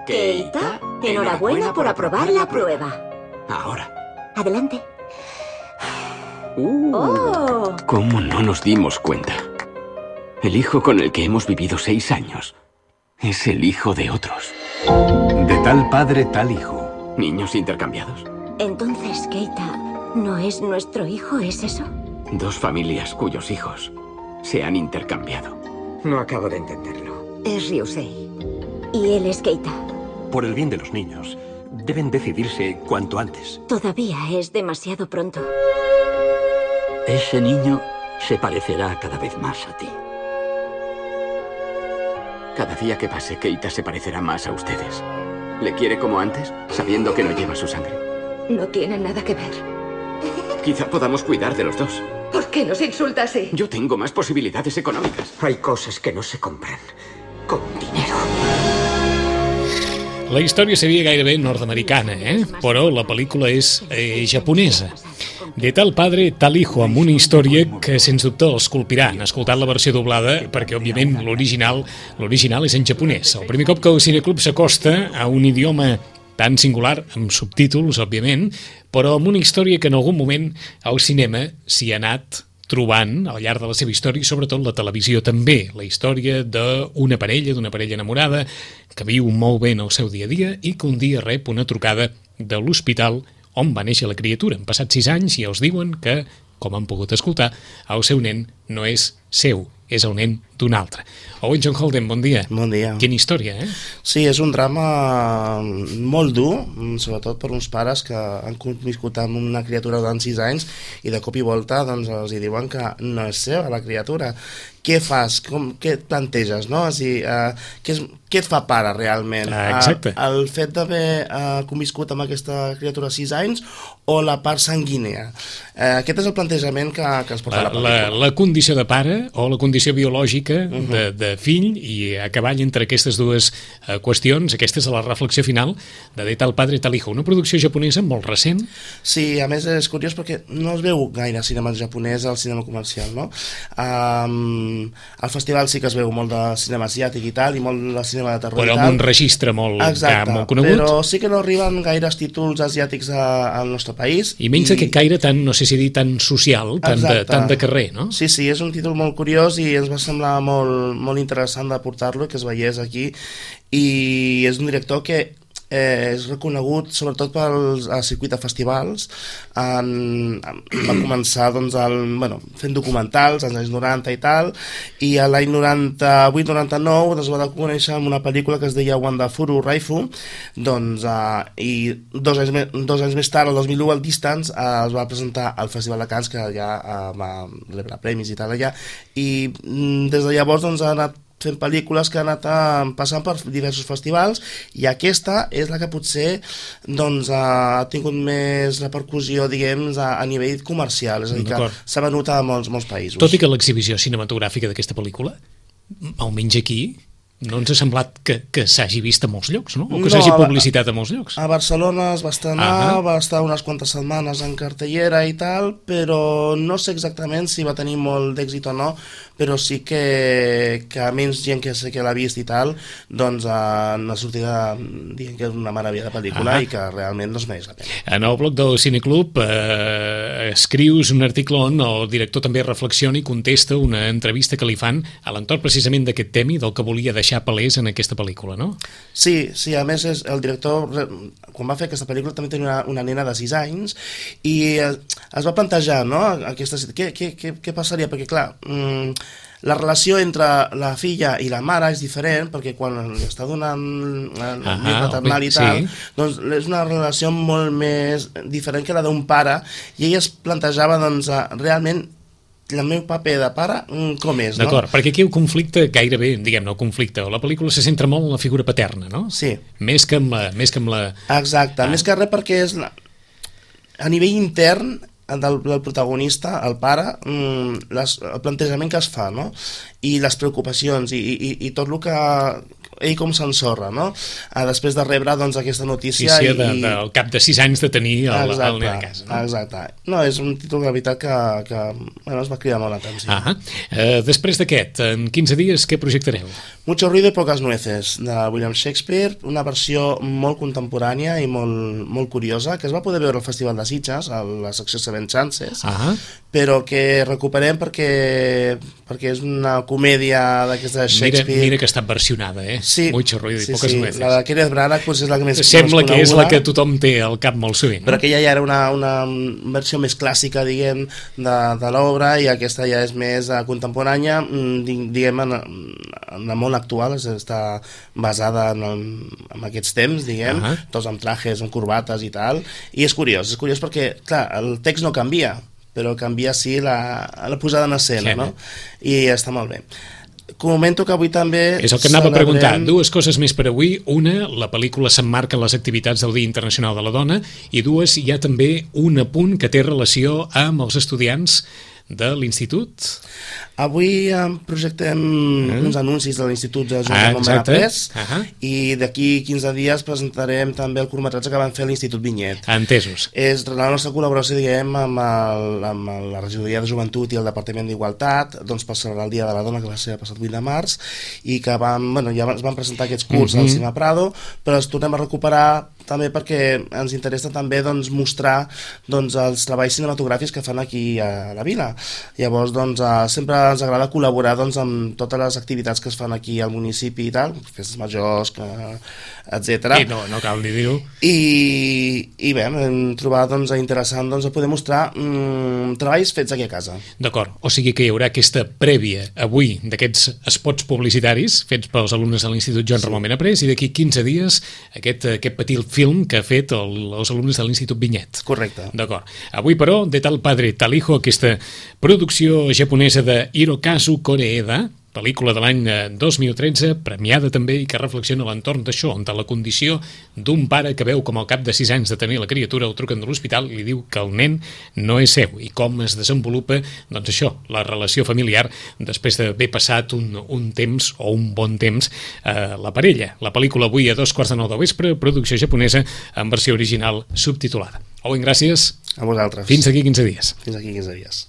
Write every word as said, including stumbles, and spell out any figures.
Keita, enhorabuena por aprobar la prueba. Ahora. Adelante. Uh, ¡Oh! ¿Cómo no nos dimos cuenta? El hijo con el que hemos vivido seis años es el hijo de otros. De tal padre, tal hijo. ¿Niños intercambiados? Entonces, Keita, ¿no es nuestro hijo, es eso? Dos familias cuyos hijos se han intercambiado. No acabo de entenderlo. Es Ryusei. Y él es Keita. Por el bien de los niños, deben decidirse cuanto antes. Todavía es demasiado pronto. Ese niño se parecerá cada vez más a ti. Cada día que pase, Keita se parecerá más a ustedes. ¿Le quiere como antes, sabiendo que no lleva su sangre? No tiene nada que ver. Quizá podamos cuidar de los dos. ¿Por qué nos insulta así? Yo tengo más posibilidades económicas. Hay cosas que no se compran con dinero. La història seria gairebé nord-americana, eh? Però la pel·lícula és eh, japonesa. De tal padre, tal hijo, amb una història que, sens dubte, els colpirà. Han escoltat la versió doblada perquè, òbviament, l'original l'original és en japonès. El primer cop que el Cineclub s'acosta a un idioma tan singular, amb subtítols, òbviament, però amb una història que en algun moment al cinema s'hi ha anat trobant al llarg de la seva història i sobretot la televisió també, la història d'una parella, d'una parella enamorada que viu molt bé en el seu dia a dia i que un dia rep una trucada de l'hospital on va néixer la criatura. Han passat sis anys i els diuen que, com han pogut escoltar, el seu nen no és seu, és el nen d'un altre. Owen John Holden, bon dia. Bon dia. Quina història, eh? Sí, és un drama molt dur, sobretot per uns pares que han viscut amb una criatura durant sis anys i de cop i volta doncs, els diuen que no és seva la criatura. Què fas? Com, què et planteges? No? És dir, uh, què, és, què et fa pare realment? Ah, exacte. Uh, el fet d'haver uh, conviscut amb aquesta criatura sis anys o la part sanguínea? Uh, aquest és el plantejament que, que es porta la, a la pel·lícula. La, la condició de pare o la condició biològica uh-huh. de, de fill i a cavall entre aquestes dues uh, qüestions. Aquesta és la reflexió final de De tal padre, tal hijo. Una producció japonesa molt recent. Sí, a més és curiós perquè no es veu gaire cinema japonès al cinema comercial, no? Um, al festival sí que es veu molt de cinema asiàtic i tal, i molt de cinema de terror però i tal. Però amb un registre molt, exacte, ja, molt conegut. Però sí que no arriben gaires títols asiàtics a, al nostre país. I menys i... d'aquest caire tan, no sé si dir, tan social, tan de, tan de carrer, no? Sí, sí, és un títol molt curiós i ens va semblar molt, molt interessant de portar-lo, que es veiés aquí, i és un director que Eh, és reconegut sobretot pel circuit de festivals. En, va començar doncs, el, bueno, fent documentals als anys noranta i tal, i a l'any noranta-vuit noranta-nou es va conèixer amb una pel·lícula que es deia Wandafuru Raifu, doncs, eh, i dos anys, dos anys més tard, el dos mil u, al Distance, eh, es va presentar al Festival de Cannes, que ja eh, va rebre premis i tal allà, i mm, des de llavors doncs, ha anat fent pel·lícules que han anat a, passant per diversos festivals, i aquesta és la que potser doncs, ha tingut més repercussió, diguem, a, a nivell comercial, és a dir, que s'ha venut a molts, molts països. Tot i que l'exhibició cinematogràfica d'aquesta pel·lícula, almenys aquí, no ens ha semblat que, que s'hagi vist a molts llocs, no? O que no, s'hagi publicitat a molts llocs. A Barcelona es va estrenar, ah va estar unes quantes setmanes en cartellera i tal, però no sé exactament si va tenir molt d'èxit o no, però sí que, que menys gent que sé que l'ha vist i tal, doncs en la sortida dient que és una meravella de pel·lícula ah i que realment no es mereix la pena. En el blog del Cineclub eh, escrius un article on el director també reflexiona i contesta una entrevista que li fan a l'entorn precisament d'aquest tema i del que volia deixar palès en aquesta pel·lícula, no? Sí, sí, a més és, el director quan va fer aquesta pel·lícula també tenia una, una nena de sis anys i es, es va plantejar, no? Aquesta, què, què, què, què passaria? Perquè clar, mmm, la relació entre la filla i la mare és diferent, perquè quan li està donant el ah, llet maternal i tal, sí. doncs és una relació molt més diferent que la d'un pare, i ella es plantejava doncs, realment el meu paper de pare, com és, no? D'acord, perquè aquí el conflicte, gairebé, diguem-ne, el conflicte, la pel·lícula se centra molt en la figura paterna, no? Sí. Més que amb la... Més que amb la... Exacte, ah. més que res perquè és la... a nivell intern del, del protagonista, el pare, les, el plantejament que es fa, no? I les preocupacions i, i, i tot el que ell com s'ensorra, no? Uh, després de rebre doncs, aquesta notícia... Sí, sí, i, de, de, al cap de sis anys de tenir el, exacte, el nen a casa. No? Exacte. No, és un títol de veritat que, que bueno, es va cridar molt l'atenció. Ah, uh, després d'aquest, en quinze dies, què projectareu? Mucho ruido y pocas nueces, de William Shakespeare, una versió molt contemporània i molt, molt curiosa, que es va poder veure al Festival de Sitges, a la secció Seven Chances, Ah. però que recuperem perquè, perquè és una comèdia d'aquesta de Shakespeare. Mira, mira que està versionada, eh? Sí, Mucho ruido y sí, pocas sí. nueces. La de Kenneth Branagh potser és la que més, Sembla més que és la coneguda, que tothom té al cap molt sovint. però No? aquella ja era una, una versió més clàssica, diguem, de, de l'obra, i aquesta ja és més uh, contemporània, mm, diguem, en, en el món actual, és, està basada en, el, en aquests temps, diguem, Ahà. tots amb trajes, amb corbates i tal, i és curiós, és curiós perquè, clar, el text no canvia, però canvia sí la, la posada en escena, Sí, no? I està molt bé. Comento que avui també... És el que anava a celebrem- preguntar. Dues coses més per avui. Una, la pel·lícula s'emmarca en les activitats del Dia Internacional de la Dona, i dues, hi ha també un apunt que té relació amb els estudiants de l'institut. Avui eh, projectem Mm. uns anuncis de l'Institut de Joan Ah, Ramon exacte. Benaprés, Ahà. i d'aquí quinze dies presentarem també el curtmetratge que van fer a l'Institut Vinyet. Entesos. És la nostra col·laboració, diguem, amb, el, amb la Regidoria de Joventut i el Departament d'Igualtat, doncs per celebrar el Dia de la Dona, que va ser el passat vuit de març, i que van, bueno, ja es van presentar aquests curts Mhm. al Cinema Prado, però els tornem a recuperar també perquè ens interessa també doncs, mostrar doncs, els treballs cinematogràfics que fan aquí a la vila. Llavors, doncs, eh, sempre ens agrada col·laborar doncs, amb totes les activitats que es fan aquí al municipi i tal, festes majors, que, etcètera. I no, no cal ni dir-ho. I, i bé, hem trobat doncs, interessant doncs, poder mostrar mm, treballs fets aquí a casa. D'acord, o sigui que hi haurà aquesta prèvia avui d'aquests spots publicitaris fets pels alumnes de l'Institut Joan Ramon Benaprés, i d'aquí quinze dies aquest, aquest petit film que ha fet el, els alumnes de l'Institut Vinyet. Correcte. D'acord. Avui, però, de tal padre, tal hijo, aquesta producció japonesa de Hirokazu Koreeda, pel·lícula de l'any dos mil tretze, premiada també, i que reflexiona a l'entorn d'això, de la condició d'un pare que veu com al cap de sis anys de tenir la criatura el truquen de l'hospital i li diu que el nen no és seu, i com es desenvolupa, doncs això, la relació familiar després d'haver passat un, un temps, o un bon temps, a la parella. La pel·lícula avui a dos quarts de nou del vespre, producció japonesa en versió original subtitulada. Owen, gràcies. A vosaltres. Fins aquí quinze dies. Fins aquí quinze dies.